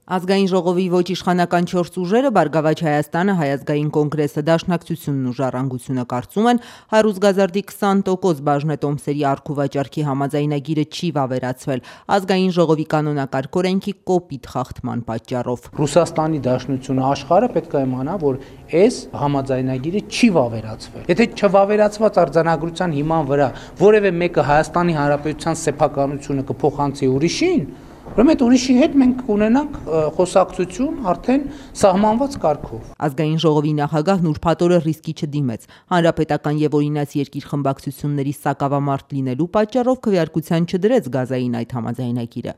Ազգային ժողովի ոչ իշխանական 4 ուժերը Բարգավաճ Հայաստանը, Հայ ազգային կոնգրեսը, Դաշնակցությունն ու Ժառանգությունը կարծում են, Հարուսգազարդի 20% բաժնետոմսերի առքուվաճառքի համաձայնագիրը չի վավերացվել Ազգային ժողովի կանոնակարգ օրենքի կոպիտ խախտման պատճառով։ Ռուսաստանի Դաշնությունը աշխարհը պետք է իմանա, որ այս համաձայնագիրը չի վավերացվել։ Եթե չվավերացված արձանագրության հիման վրա որևէ մեկը Հայաստանի Հանրապետության սեփականությունը կփոխանցի ուրիշին, ուրեմն այդ ուրիշի հետ մենք կունենանք խոսակցություն արդեն սահմանված կարգով։ Ազգային ժողովի նախագահն ուրբաթ ռիսկի չդիմեց։ Հանրապետական եւ օրինաց երկիր խմբակցությունների սակավամարտ լինելու պատճառով քվեարկության չդրեց գազային այդ համաձայնագիրը։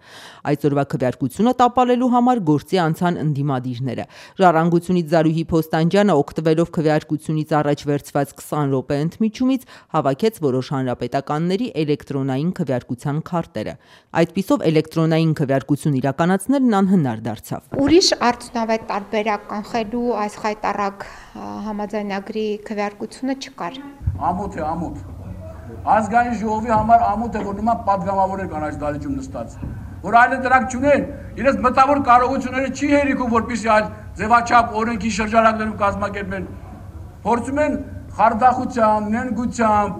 Այսօրվա քվեարկությունը տապալելու համար գործի անցան ընդդիմադիրները։ Ժառանգությունից Զարուհի Փոստանջյանը օգտվելով քվեարկությունից առաջ վերցված 20 րոպե ընդմիջումից հավաքեց որոշ հանրապետականների էլեկտրոնային քվեարկության քարտերը։ Այդպիսով էլեկտրոնային քվեարկություն իրականացնելն անհնար դարձավ։ Ուրիշ արդյունավետ տարբերակ կանխելու այս խայտառակ համաձայնագրի քվեարկությունը չկար։ Ամոթ է, ամոթ։ Ազգային ժողովի համար ամոթ է, որ նման պատգամավորներ կան այս դահլիճում նստած, որ այլ դրանք չունեն, իրենց մտավոր կարողությունները չի հերիքում, որպեսզի այլ ձևաչափ օրենքի շրջանակներում կազմակերպեն։ Փորձում են խարդախությամբ, նենգությամբ,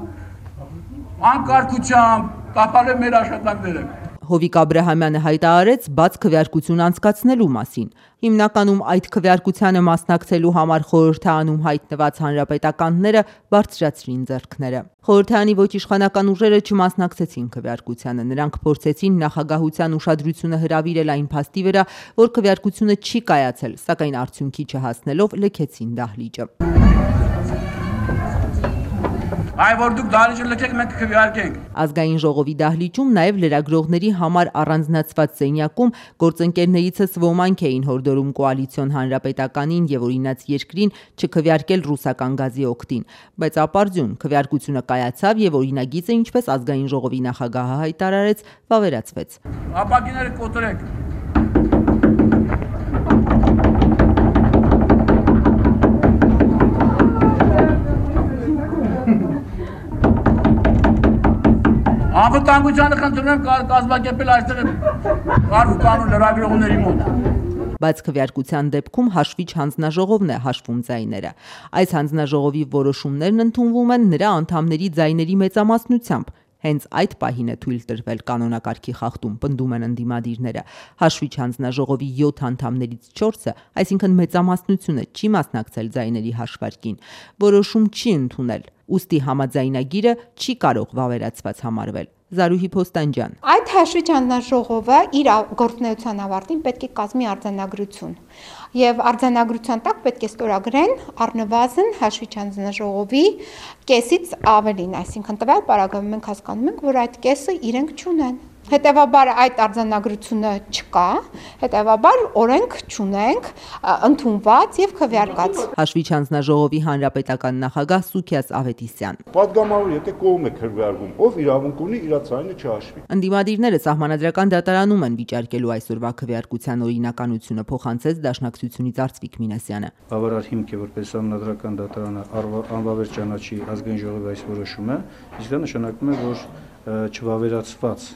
անկարգությամբ տապալել մեր աշխատանքները։ Հովիկ Աբրահամյանը հայտարարեց բաց քվեարկություն անցկացնելու մասին։ Հիմնականում այդ քվեարկությանը մասնակցելու համար խորհրդարանում հայտնված հանրապետականները բարձրացրին ձեռքները։ Խորհրդարանի ոչ իշխանական ուժերը չմասնակցեցին քվեարկությանը։ Նրանք փորձեցին նախագահության ուշադրությունը հրավիրել այն փաստի վրա, որ քվեարկությունը չի կայացել, սակայն արդյունքի չհասնելով լքեցին դահլիճը։ Այ որ դուք դահլիճը լքեք, մենք քվեարկենք։ Ազգային ժողովի դահլիճում նաև լրագրողների համար առանձնացված սենյակում գործընկերներիցս ոմանք էին հորդորում կոալիցիոն հանրապետականին եւ օրինաց երկրին չքվեարկել ռուսական գազի օգտին, բայց ապարդյուն քվեարկությունը կայացավ եւ օրինագիծը, ինչպես ազգային ժողովի նախագահը հայտարարեց, վավերացվեց։ Ապակիները կոտրեք։ Անվտանգությանը խնդրում եմ կազմակերպել այստեղ կանոն լրագրողների մոտ։ Բայց քվեարկության դեպքում հաշվիչ հանձնաժողովն է հաշվում ձայները։ Այս հանձնաժողովի որոշումներն ընդունվում են նրա անդամների ձայների մեծամասնությամբ։ Հենց այդ պահին է թույլ տրվել կանոնակարգի խախտում, պնդում են ընդդիմադիրները։ Հաշվիչ հանձնաժողովի 7 անդամներից 4-ը, այսինքն մեծամասնությունը, չի մասնակցել ձայների հաշվարկին, որոշում չի ընդունել, ուստի համաձայնագիրը չի կարող վավերացված համարվել։ Զարուհի Փոստանջյան. Այդ հաշվիչ հանձնաժողովը իր գործունեության ավարտին պետք է կազմի արձանագրություն եւ արձանագրության տակ պետք է ստորագրեն առնվազն հաշվիչ հանձնաժողովի կեսից ավելին, այսինքն տվյալ պարագայում մենք հասկանում ենք, որ այդ կեսը իրենք չունեն։ Հետևաբար այդ արձանագրությունը չկա, հետևաբար օրենք չունենք, ընդունված եւ քվեարկած։ Հաշվիչ հանձնաժողովի հանրապետական նախագահ Սուքիաս Ավետիսյան. Պատգամավոր եթե կողմ է քվեարկում, ով իրավունք ունի իր ցայնը չհաշվի։ Ընդդիմադիրները սահմանադրական դատարանում են վիճարկելու այսօրվա քվեարկության օրինականությունը, փոխանցեց Դաշնակցությունից Արծվիկ Մինասյանը։ Բավարար հիմք է, որպես սահմանադրական դատարանը անվավեր ճանաչի ազգային ժողովի այս որոշումը, իսկ դա նշանակում է, որ չվավերացված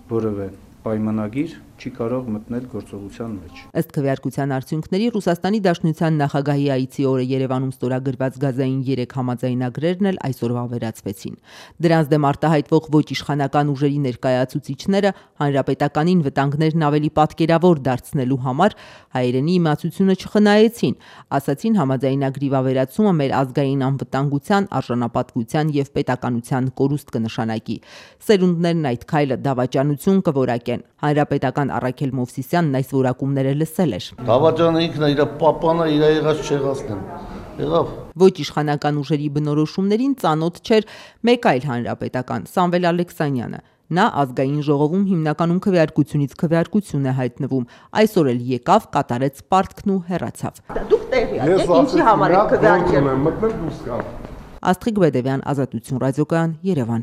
որևէ պայմանագիր չի կարող մտնել գործողության մեջ։ Ըստ քվեարկության արդյունքների Ռուսաստանի Դաշնության նախագահի այցի օրը Երևանում ստորագրված գազային 3 համաձայնագրերն էլ այսօր վավերացվեցին։ Դրանց դեմ արտահայտվող ոչ իշխանական ուժերի ներկայացուցիչները հանրապետականին վտանգներն ավելի պատկերավոր դարձնելու համար հայերենի իմացությունը չխնայեցին, ասացին համաձայնագրի վավերացումը մեր ազգային անվտանգության, արժանապատվության եւ պետականության կորուստ կնշանակի։ Սերունդներն այդ քայլը դավաճանություն կորակեն։ Հանրապետական Առաքել Մովսիսյանն այս որակումները լսել էր։ Դավաճանը ինքն է իր պապանը իր եղած չեղածն եղավ։ Ոչ իշխանական ուժերի բնորոշումներին ծանոթ չէր մեկ այլ հանրապետական Սամվել Ալեքսանյանը։ Նա ազգային ժողովում հիմնականում քվեարկությունից քվեարկություն է հայտնվում։ Այսօր էլ եկավ, կատարեց պարտքն ու հեռացավ։ Դուք տեղյակ եք ինչի համար եք քվեարկել։ Աստղիկ Բեդևյան, Ազատություն ռադիոկայան, Երևան։